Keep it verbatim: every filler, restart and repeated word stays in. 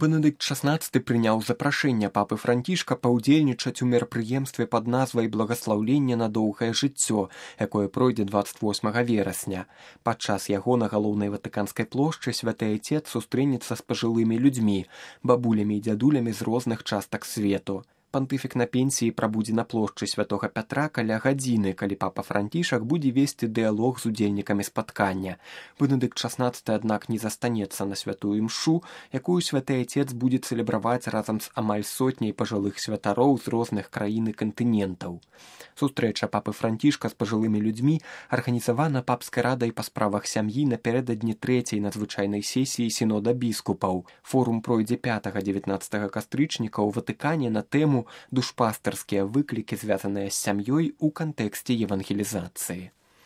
Бенедыкт шаснаццаты прыняў запрашэнне папы Францішка паўдзельнічаць у мерапрыемстве пад назвай «Благаслаўленне на доўгае жыццё», якое пройдзе дваццаць восьмага верасня. Падчас яго на галоўнай ватыканскай плошчы святы айцец сустрэнецца з пажылымі людзьмі, бабулямі і дзядулямі з розных частак свету. Пантыфік на пенсіі прабудзе на плошчы святога Пятра каля гадзіны, калі папа Францішак будзе весці дыялог з удзельнікамі спаткання. Бенедыкт шаснаццаты, аднак, не застанецца на святую імшу, якую святы айцец будзе цэлебраваць разам з амаль сотняй пажылых святароў з розных краін і кантынентаў. Сустрэча папы Францішка з пажылымі людзьмі арганізавана папскай радай па справах сям'і напярэдадні трэцяй надзвычайнай сесіі сінода біскупаў. Форум пройдзе пятага-дзевятнаццатага кастрычніка ў Ватыкане на тэму «Душпастарскія выклікі, звязаныя з сям'ёй у кантэксце евангелізацыі».